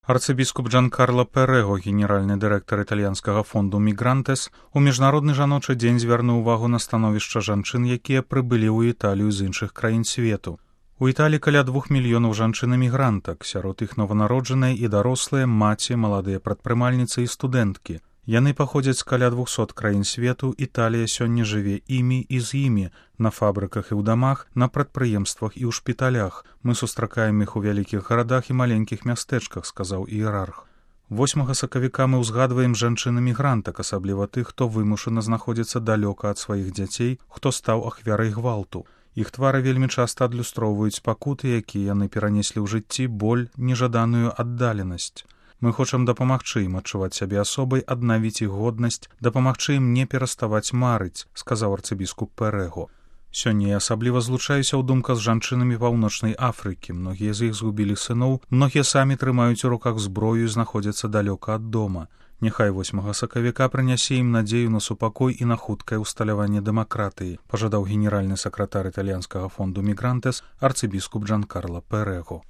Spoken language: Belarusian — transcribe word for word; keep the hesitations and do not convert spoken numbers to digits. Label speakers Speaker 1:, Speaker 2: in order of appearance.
Speaker 1: Арцыбіскуп Джанкарло Перего, генеральны дырэктар італьянскага фонду «Мігрантес», у міжнародны жаночы дзень звярнуў увагу на становішча жанчын, якія прыбылі ў Італію з іншых краін свету. У Італіі каля двух мільёнаў жанчын-эмігрантак, сярод іх нованароджаныя і дарослыя, маці, маладыя прадпрымальніцы і студэнткі. Яны паходзяць з каля двухсот краін свету, Італія сёння жыве імі і з імі, на фабрыках і ў дамах, на прадпрыемствах і ў шпіталях. Мы сустракаем іх у вялікіх гарадах і маленькіх мястэчках, сказаў іерарх. восьмага сакавіка мы ўзгадваем жанчын-эмігрантак, асабліва тых, хто вымушана знаходзіцца далёка ад сваіх дзяцей, хто стаў ахвярай гвалту. Іх твары вельмі часта адлюстроўваюць пакуты, якія яны перанеслі ў жыцці, боль, нежаданую аддаленасць. Мы хочам дапамагчы ім адчуваць сябе асобай, аднавіць іх годнасць, дапамагчы ім не пераставаць марыць, сказаў арцыбіскуп Перего. Сёння я асабліва злучаюся ў думках з жанчынамі Паўночнай Афрыкі. Многія з іх згубілі сыноў, многія самі трымаюць у руках зброю і знаходзяцца далёка ад дома. Няхай восьмага сакавіка прынясе ім надзею на супакой і на хуткае ўсталяванне дэмакратыі, пажадаў генеральны сакратар італьянскага фонду «Мігрантес» арцыбіскуп Джанкарло Перего.